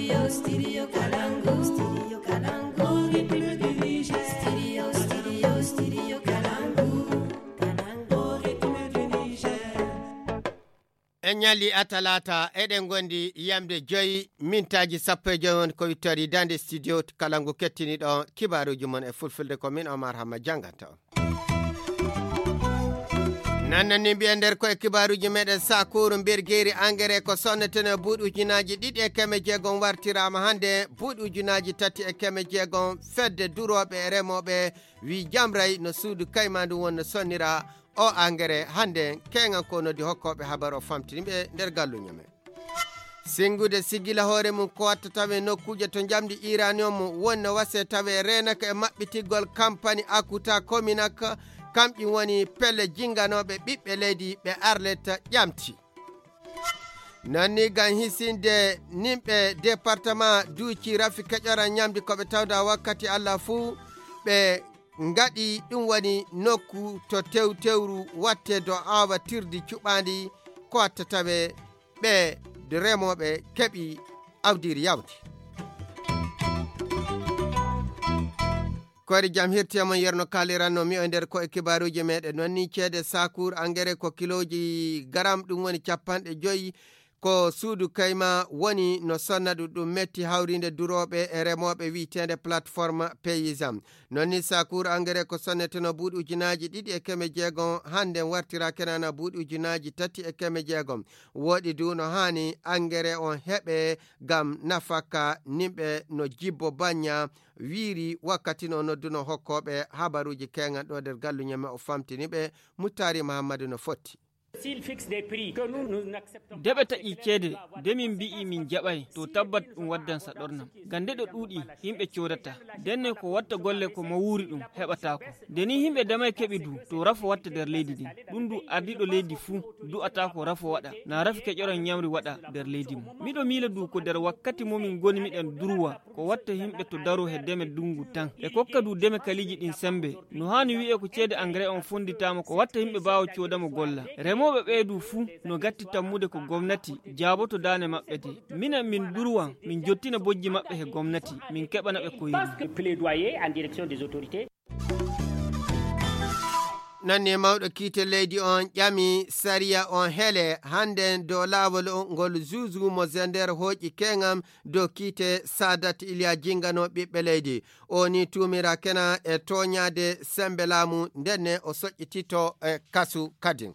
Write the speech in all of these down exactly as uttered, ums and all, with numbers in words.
En ñalli a talaata, eɗen ngondi yamde joyi mintaaji sappo e joyi woni ko wittori dande studio kala ngu kettiniɗo kibaaruuji mon e fulfulde. Ko min Omar Hamma jannganta on. Nannani mbiya nder ko e kibaaruuji meɗen, sakuru mbirgeeri engrais ko sonneteno buuɗi ujunaaji ɗiɗi e keme jeegom wartiraama hannde buuɗi ujunaaji tati e keme jeegom. Fedde durooɓe e remooɓe wi jamray no suudu kayma ndu won no sonnira o engrais hannde. Keŋan ko noddi hokkooɓe habar o famtini ɓe nder galluño men. Singude sigila hoore mum ko watta tawe nokkuuje to njamdi uranium wonno wase tawe reenaka e maɓɓitigol kampani akuta kominak. Kamƴi woni pelle jinganooɓe ɓiɓɓe leydi ɓe arletta ƴamti. Nanni gam hisinde nimɓe département duuci rafi keƴora ñamdi ko ɓe tawda wakkati allah fuu ɓe ngaɗi ɗum woni nokku to tewtewru watte do awa tirdi cuɓaandi ko watta tawe ɓe remooɓe keɓi awdiri yawdi. Koyre jam hirti e mon yerno kaaliranno mi o nder ko e kibaaruuji meɗen noon ni ceede sakuur engrais ko kilooji garam ɗum woni capanɗe joyi. Ko suudu kayma woni no sonna ɗum ɗum metti hawrinde durooɓe e remooɓe wiyeteende plateforme paysan. Noon ni sakuur engrais ko sonneteno buuɗi ujunaaji ɗiɗi e keme jeegom hannde wartira kenana buuɗi ujunaaji tati e keme jeegom. Woɗi du no haani engrais on heɓe ngam nafaka nimɓe no jibbo bañña wiiri wakkati no nodduno hokkooɓe habaruuji keŋan ɗo nder galluñe men o famtini ɓe. Muttaari Mahammadu no fotti. Deɓe taƴi ceede de min mbi'i min jaɓay to tabbat ɗum waddan saɗornam. Ngam nde ɗo ɗuuɗi yimɓe coodata denne ko watta golle ko mawuuri ɗum heɓataako. Nde ni yimɓe damay keɓi du to rafo watta nder leydi ndin ɗum du ardiiɗo leydi fuu du'ataako rafo waɗa na rafi keƴoran ñamri waɗa nder leydi mum. Miɗo miila du ko nder wakkati momin ngoni miɗen durwa ko watta yimɓe to daro he deme ndungu tan ɓe kokka du deme kaliiji ɗin sembe. No haani wi'e ko ceede engrais on fonditaama ko watta yimɓe mbaawa coodamo golla. Remooɓe ɓee du fuu no gatti tammude ko gomnati jaaboto daane maɓɓe de. Minen min durwan min jottina bojji maɓɓe he gomnati min keɓana ɓe ko yiri. Nanni mawɗo kiite leydi on ƴami sariya on hele hannden dow laawol ngol zuuzu mo zender hooƴi keŋam dow kiite sadat iliya jingano ɓiɓɓe leydi. O ni tuumira kena e tooñaade sembe laamu ndenne o soƴƴitito e kasu kadin.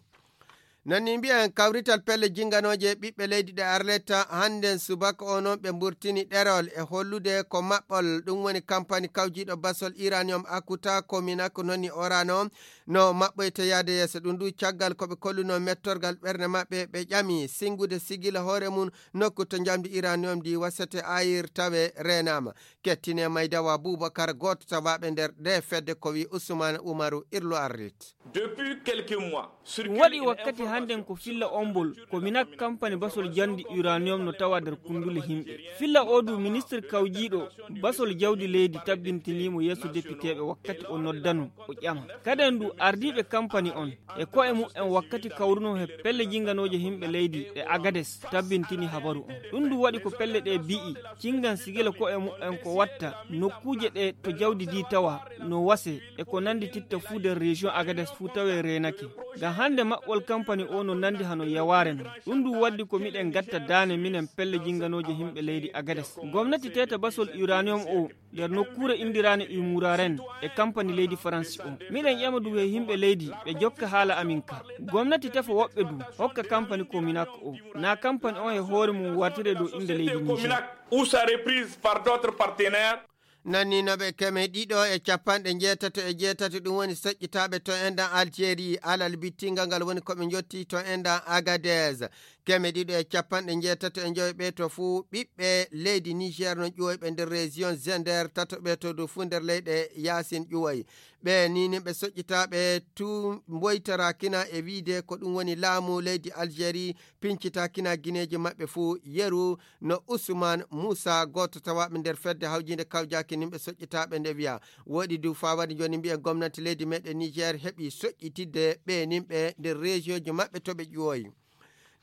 Nanni mbiyen kawrital pelle jinganooje ɓiɓɓe leydi ɗe arletta hannden subaka o noon ɓe mburtini ɗerol e hollude ko maɓɓol ɗum woni kampani kawjiiɗo basol iranium akuta kominak noni orano no maɓɓoyta yaade yeeso ɗum ndu caggal ko ɓe kolluno mettorgal ɓernde maɓɓe ɓe ƴami singude sigila hoore mum nokku to njamdi iranium ndi wasete ayir tawe reenaama. Kettine maydawa boubakar gooto tawaaɓe nder nde fedde ko wi usman umaru irlo arrit. Depuis quelques mois ɗum waɗi wakkati hannden ko filla ombol ko minak kampani basol jandi uranium no tawa nder kundule himɓe. Filla o du ministre kawjiiɗo basol jawdi leydi tabbintinimo yeeso depiteeɓe wakkati o noddano o ƴama kaden du ardiiɓe kampani on e ko'e muɓɓen wakkati kawruno he pelle jinganooje himɓe leydi e agades tabbintini habaru on. Ɗum du waɗi ko pelle ɗe bi'i cingan sigila ko'e muɓɓen ko watta nokkuuje ɗe to jawdi di tawa no wase e ko nandi titta fuu nder région agades fuu tawe reenake. Ngam hannde maɓɓol kampani o no nandi hano yawaare non. Ɗum du waddi ko miɗen gatta daane minen pelle jinganooje himɓe leydi agades. Gomnati teta basol uranium o nder nokkuure indiraane umuraren e kampani leydi faransi o. Miɗen ƴama du he yimɓe leydi ɓe jokka haala amin ka. Gomnati tefa woɓɓe du hokka kampani kominak o na kampani on he hoore mum wartire dow innde leydi niger. Ou sa reprise par d'autres partenaires. Nanninoɓe keme ɗiɗo e capanɗe njeetato e jeetato ɗum woni soƴƴitaaɓe to endan algérie alal bittingal ngal woni koɓe njotti to endan agadez. Keme ɗiɗo e capanɗe njeetato e joyi ɓe to fuu ɓiɓɓe leydi niger no ƴuwoyɓe nder région zender tato ɓe to dow fuu nder leyɗe yaasin ƴuwoy. Ɓe nini ɓe soƴƴitaaɓe tu mboytarakina e wiide ko ɗum woni laamu leydi algérie pincitakina gineeji maɓɓe fuu yeru. No usman muusa gooto tawaaɓe nder fedde hawjiinde kawjaaki nin ɓe soƴƴitaaɓe nde wiya woɗi du faa waɗi jooni mbiyen gomnati leydi meɗen niger heɓi soƴƴitidde ɓe nin ɓe nder région ji maɓɓe to ɓe ƴuwoyi.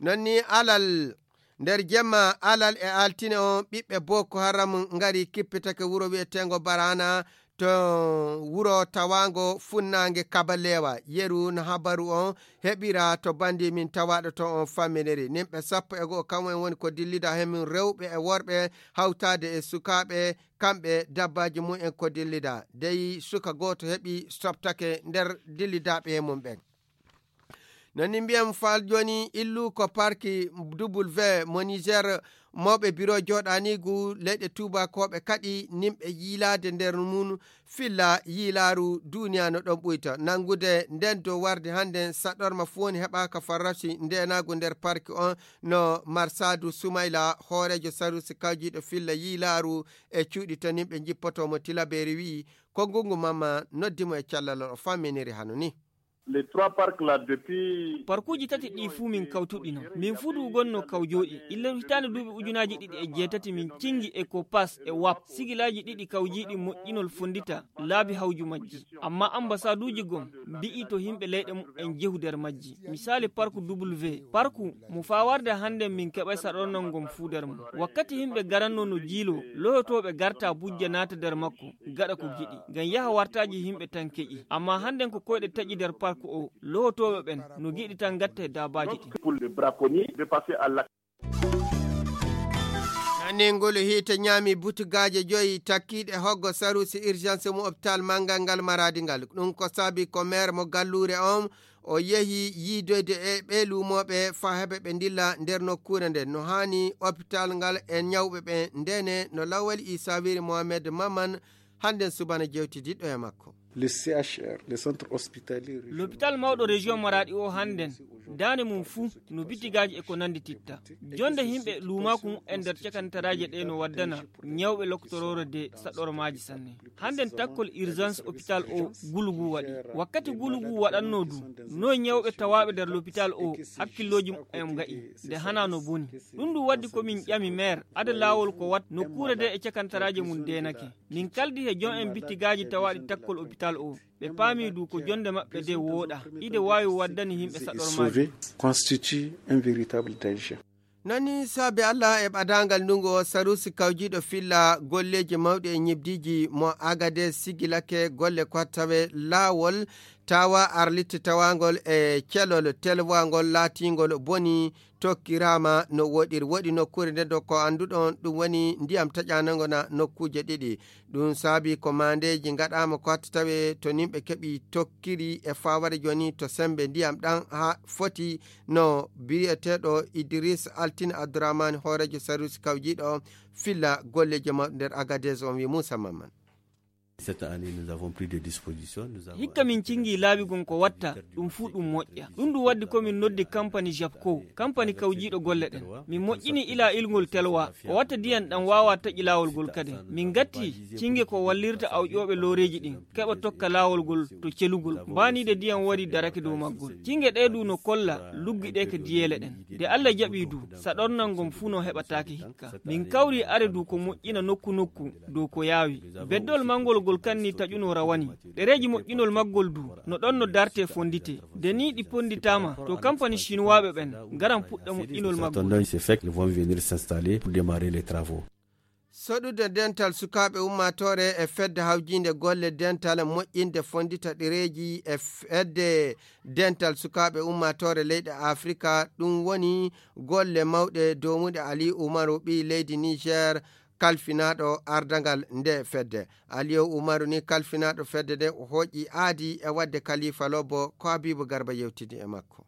Non ni alal Nder jemma alal e altine on, ɓiɓɓe Boko Haram ngari kippitake wuro wi'eteengo Barana to wuro tawaango funnaange Kabalewa. Yeru no habaru on heɓira to bandi min tawaaɗo to on famminiri. Nimɓe sappo e go'o kam'en woni ko dillida he mum, rewɓe e worɓe, hawtaade e sukaaɓe, kamɓe dabbaaji mum en ko dillida. Dey suka gooto heɓi soɓtake nder dillidaaɓe he mum ɓen. No ni mbiyan fal jooni, illu ko parki W mo Niger, mawɓe biro jooɗaniigu leyɗe tuubakooɓe kaɗi nimɓe yiilaade nder mum filla yiilaaru duuniya no ɗon ɓuyta. Nanngude nden dow warde hannden saɗorma fu woni heɓaaka farrasi ndeenaagu nder parki on, no Marsadu Sumayla, hooreejo sarusi kawjiiɗo filla yiilaaru e cuuɗi to nimɓe njippoto mo Tilaberi wi'i, ko ngungu mamma noddi mo e cellal o famminiri hano ni. Les trois parcs là depuis Parkuuji tati ɗi fuu min kawtuɗino. Min fuu du gonno kaw jooɗi. Illa hitaande duuɓi ujunaaji ɗiɗi e jeetati min cingi e ko pas e wap. Sigilaaji ɗiɗi kawjiiɗi moƴƴinol fonndita laabi hawju majji. Amma ambasaduuji gom mbi'i to himɓe leyɗe mumen jehu nder majji. Misaali parku W. Parku mo faa warde hannden min keɓay saɗornal ngom fuu nder mum. Wakkati himɓe garanno no jiilo, lohotooɓe garta bujja naata nder makko, gaɗa ko giɗi. Ngam yaha wartaaji himɓe tan keƴi. Amma hannden ko koyɗe taƴi nder parku o, lohotooɓe ɓen no giɗi tan gatta e daabaaji ɗin. Pour le braconnier de passer à l'acte. Nangol hiite ñaami butugaaje joyi takkiiɗe hoggo sarusi urgence mo hôpital manngal ngal Maradi ngal. Ɗum ko saabi ko maire mo galluure on, o yehi yiidoyde e ɓee luumooɓe faa heɓa ɓe ndilla nder nokkuure nden. No haani hôpital ngal e ñawɓe ɓen ndene no Lawal Isa wiri Mohamed Maman hannden subana jewtidiɗɗo e makko. Le C H R, le centre hospitalier régional. L'hôpital mawɗo région Maradi o hannden, daande mum fuu no bitigaaji e ko nanndi titta. Jonde himɓe luumaaku mumen nder cakantaraaje ɗe no waddana ñawɓe loktoroore de saɗormaaji sanne. Hannden takkol urgence hôpital o gulugu waɗi. Wakkati gulugu waɗanno du, no ñawɓe tawaaɓe nder l'hôpital o hakkillooji mumen nga'i, de hana no boni. Ɗum du waddi ko min ƴami maire, ada laawol ko wat nokkuure de e cakantaraaje mum deenake. Min kaldi he jon en bitigaaji tawaaɗi takkol hôpital o. Ɓe paami du ko jonde maɓɓe de wooɗa. Ide waawi waddani himɓe saɗormaaji. Sauver constitue un véritable danger. Nani saabe Allah e ɓadaangal ndungu o, sarusi kawjiiɗo filla golleeji mawɗi e ñibdiiji mo Agades sigilake golle ko tawe laawol tawa arlitti tawangol e celol telwangol laatingol boni tokkiraama no woɗiri. Woɗi nokkuure nde do ko annduɗon ɗum woni ndiyam taƴanango na nokkuuje ɗiɗi. Ɗum saabi ko maandeeji ngaɗaama ko hatti tawe to nimɓe keɓi tokkiri e faaware jooni to sembe ndiyam ɗan haa foti no biyeteeɗo Idris Altine Abdourahmane hooreejo sarusi kawjiiɗo filla golleeji mawɗi nder Agadez on wi Moussa Maman. Cette année, nous avons pris des dispositions. Nous avons hikka min cingi laabi gon ko watta ɗum fuu ɗum moƴƴa. Ɗum ɗum waddi ko min noddi kampani Japco, kampani kawjiiɗo golle ɗen. Min moƴƴini ila ilngol telwa, ko watta diyan ɗan waawa taƴi laawol gol kadi. Min gatti cinge ko wallirta awƴooɓe looreeji ɗin, keɓa tokka laawol gol to celugol. Mbaaniide diyan wari darake dow maggol. Cinge ɗee du no kolla luggi ɗee ka diyeele ɗen. De Alla jaɓi du, saɗornal ngon fuu no heɓataake hikka. Min kawri are du ko moƴƴina nokku nokku dow ko yaawi. Beddol manngol gol kanni taƴuno rawani. Ɗereeji moƴƴinol maggol du, no ɗon no darte fondite. De ni ɗi ponditaama, to kampani Sinuwaaɓe ɓen ngaran puɗɗa moƴƴinol maggol. Attendons, c'est fait, ils vont venir s'installer pour démarrer les travaux. Soɗude dental sukaaɓe ummaatoore e fedde hawjiinde golle dental moƴƴinde fondita ɗereeji e fedde dental sukaaɓe ummaatoore leyɗe Afrika, ɗum woni golle mawɗe doomuɗe Aliyu Umaru, ɓii leydi Niger, kalfinaaɗo ardangal nde fedde. Aliyu Umaru ni kalfinaaɗo fedde nde, o hooƴi aadi e waɗde Kalifa Lobo ko Habibu Garba yewtidi e makko.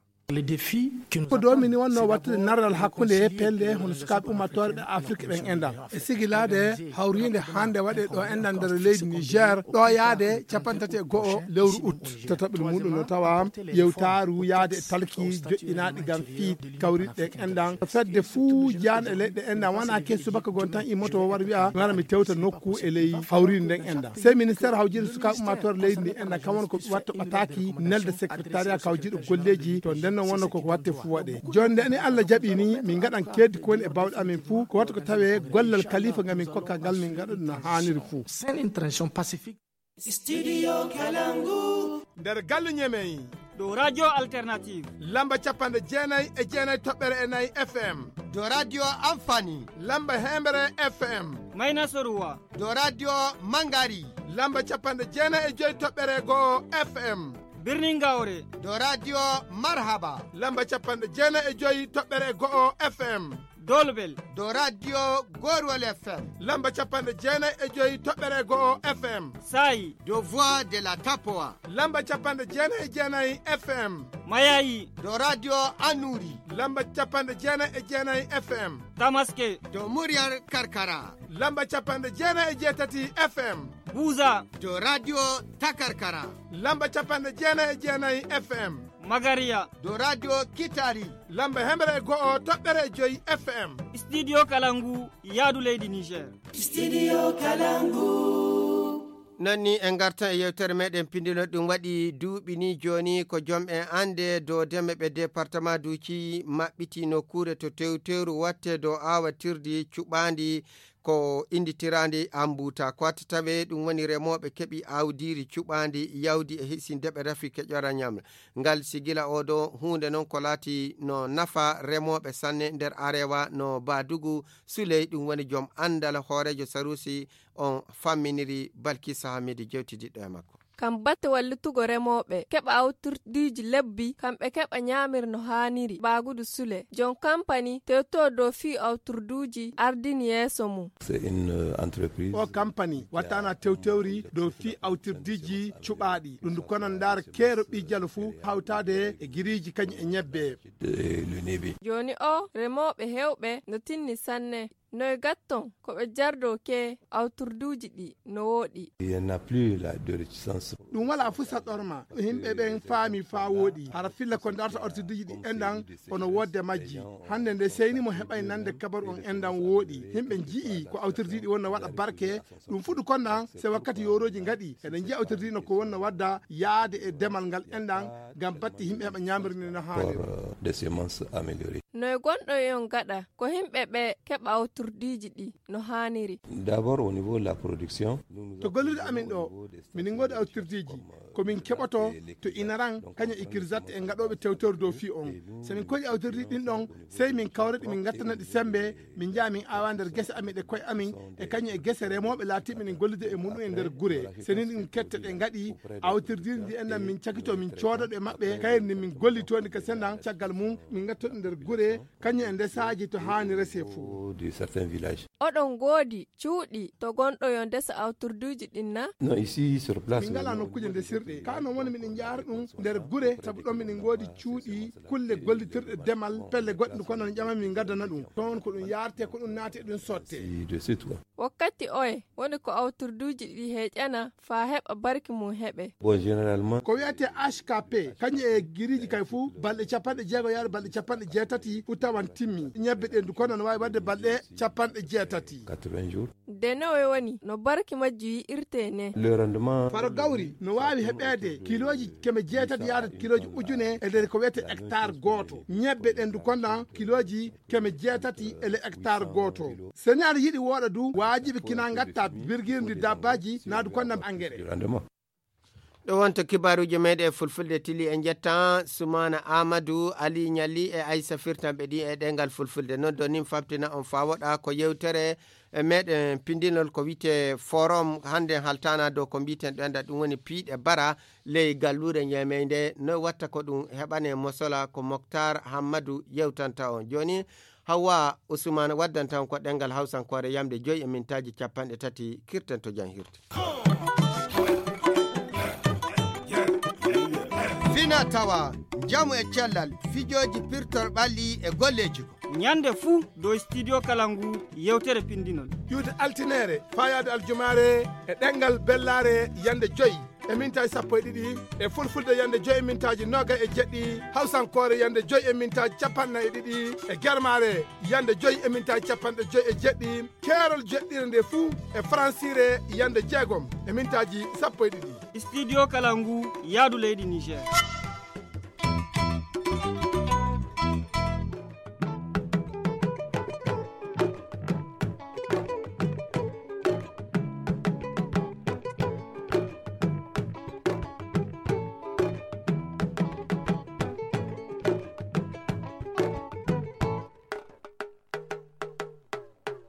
Ko ɗo min wonno wattude naral hakkunde pelle hono sukaaɓe ummatooɓe Afrik ɓen enɗan. E sigilaade hawriinde hannde waɗe ɗo enɗan nder leydi Niger, ɗo yaade capanɗe tati e go'o lewru ut. Tataɓel muɗum no tawa yewtaaru yaade e talki joƴƴinaaɗi ngam fii kawriɗe ɗen enɗan. Fedde fuu jaan e leyɗe enɗan wona ke subaka gon tan immoto o wara wi'a, mi wara mi tewta nokku e ley hawriinde nden enɗan. Sey ministère hawjiinde sukaaɓe ummatooɓe leydi ndi enɗan kam woni ko watta ɓataaki nelde secrétariat kawjiiɗo golleeji to nden non wonno koko watte fuu waɗe. Jooni nde ni Allah jaɓi ni min ngaɗan keeddi ko woni e bawɗe amin fuu ko watta ko tawe gollal kalifa ngam min kokka ngal min ngaɗa ɗum no haaniri fuu. C'est une transition pacifique. Studio Kalangu. Nder galle Ñemey, Dow Radio Alternative. Lamba capanɗe jeenayi e jeenayi toɓɓere e nayi F M. Dow Radio Amfani. Lamba heemere F M. Mayna Soruwa. Dow Radio Mangari. Lamba capanɗe jeenayi e joyi toɓɓere go'o F M. Birnin Gawre. Dow Radio Marhaba. Lamba capanɗe jeenayi e joyi toɓɓere go'o F M. Dolbel. Dow Radio Gorwol F M. Lamba capanɗe jeenayi e joyi toɓɓere go'o F M. Sayi. Dow Voix de la Tapoa. Lamba capanɗe jeenayi e jeenayi F M. Mayayi. Dow Radio Annuri. Lamba capanɗe jeenayi e jeenayi F M. Tamaske. Dow Muryar Karkara. Lamba capanɗe jeenayi e jeetati F M. Buza. Dow Radio Takarkara. Lamba capanɗe jeenayi e jeenayi F M. Magariya. Dow Radio Kitari. Lamba heemere e go'o toɓɓere e joyi F M. Studio Kalangu, yaadu leydi Niger. Studio Kalangu. Non ni en ngartan e yewtere meɗen pindinol. Ɗum waɗi duuɓi ni jooni ko joom en annde dow deme ɓe département duuci maɓɓiti nokkuure to tewtewru watte dow aawatirdi cuɓaandi ko innditiraandi ambuta. Ko watta tawe ɗum woni remooɓe keɓi awdiiri cuɓaandi yawdi e hisinde ɓe rafi keƴora ñamre. Ngal sigila oo ɗoo huunde noon ko laati no nafa remooɓe sanne nder Arewa no Badugu Suley, ɗum woni joom anndal hooreejo Sarusi on famminiri Balkisa Hamidu jewtidiɗɗo e makko. Kam batte wallitugo remooɓe keɓa awtirdiiji lebbi, kamɓe keɓa ñaamir no haaniri. Baagudu Sule, joom kampani tewtoo dow fii awtirduuji ardini yeeso mum. C'est une, euh, entreprise. O kampani wattaana tewtewri dow fii awtirdiiji cuɓaaɗi. Ɗum ndu kono ndaar keero ɓii jalo fuu hawtaade e giriiji kañum e ñebbe. Euh, le nebe. Jooni o remooɓe heewɓe no tinni sanne. Noy gatton ko ɓe jardoo ke awtirduuji ɗi no wooɗi. Il n'y en a plus la de réticence. Ɗum walaa fuu saɗɗorma. Yimɓe ɓen faami faa wooɗi. Hara filla ko darta awtirduuji ɗi enɗan kono woodde majji. Hannde nde seyni mo heɓay nande kabaru on enɗan wooɗi. Yimɓe nji'i ko awtirduuji ɗi wonno waɗa barke. Ɗum fuu ɗum konɗan se wakkati yoorooji ngaɗi. Eɗen nji'a awtirduuji no ko wonno wadda yaade e demal ngal enɗan ngam batte yimɓe heɓa ñaamirde no haaniri. Pour, euh, des semences améliorées. Noy gonɗo e on gaɗa ko yimɓe ɓe keɓa awtirdiiji ɗi no haaniri. D'abord au niveau de la production. To gollude amin ɗo, minin ngoodi awtirdiiji ko min keɓoto to Inaran kañum e Kirzat e ngaɗooɓe tewtewre dow fii on. So min koɗi awtirdiiji ɗin ɗon, sey min kawra ɗi, min ngattana ɗi semmbe, min njaha min aawa nder gese amin ɗe koye amin, e kañum e gese remooɓe laatiiɓe min gollude e muɗum e nder gure. So ni ɗum kette ɗe ngaɗi awtirdiiji ɗi enɗan min cakito, min cooda ɗo e maɓɓe, kayri ni min gollitoo ndi ka senndan, caggal mum min ngatto ɗi nder gure, kañum e ndesaaji to haani resee fuu. De certains villages. Oɗon ngoodi cuuɗi to gonɗo yo ndesa awtirduuji ɗin na? Non, ici sur place. Min ngalaa nokkuuje ndesirɗe. Kaa non woni miɗen njaara ɗum nder gure, sabu ɗon miɗen ngoodi cuuɗi, kulle gollitirɗe demal, pelle goɗɗe kono no ƴama min ngaddana ɗum. Toon ko ɗum yaartee, ko ɗum naati e ɗum sottee. Si, de suite, quoi. Wakkati oye woni ko awtirduuji ɗi heƴana faa heɓa barki mum heɓe. Bon, généralement. Ko wiyetee H K P, kañum e giriiji kay fuu, balɗe capanɗe jeego yaade balɗe capanɗe jeetati fuu tawan timmi. Ñebbe ɗe ndu kono no waawi waɗde balɗe capanɗe jeetati. Quatre-vingts jours. De nowe woni no barki majji yi'irtee ne? Le rendement. Faro gawri no waawi heɓeede kilooji keme jeetati yaade kilooji ujune e nder ko wiyetee hectare gooto. Ñebbe ɗen ndu kono kilooji keme jeetati e le hectare gooto. So neɗɗo yiɗi wooɗa du, waajibi kina ngatta birgirndi dabbaaji, naa du konnam engrais. Rendement. Ɗo wonto kibaaruuji meeɗen e fulfulde tili. En njetta Sumaana Aamadu, Ali Ñalli e Aysa Firtanɓe ɗi e ɗemngal fulfulde. Non ɗo nin fabtina on faa woɗa ko yewtere e meeɗen pindinol ko wiyetee forum. Hannde haltaana dow ko mbiyeten ɗo enda ɗum woni piiɗe bara ley galluure ñeemeynde. No watta ko ɗum heɓane mosola ko Moktar Hammadu yewtanta on. Jooni Hawwa Usmaan waddanta on ko ɗemngal Hawsankoore yamde joyi e mintaaji capanɗe tati, kirten to janhirde. Fina tawa, njamu e cellal, fijooji pirtor ɓalli e golleeji ko. Ñande fuu dow studio kala ngu yewtere pindinol. Iwde altineere, faayaade aljumaare e ɗemngal bellaare yande joyi e mintaaji sappo e ɗiɗi, e fulfulde yande joyi e mintaaji noogay e jeɗɗi, hawsankoore yande joyi e mintaaji capanɗe nayi e ɗiɗi, e germaare yande joyi e mintaaji capanɗe joyi e jeɗɗi, keerol jeɗɗire nde fuu e faransiire yande jeegom e mintaaji sappo e ɗiɗi. Studio kala ngu yaadu leydi Niger.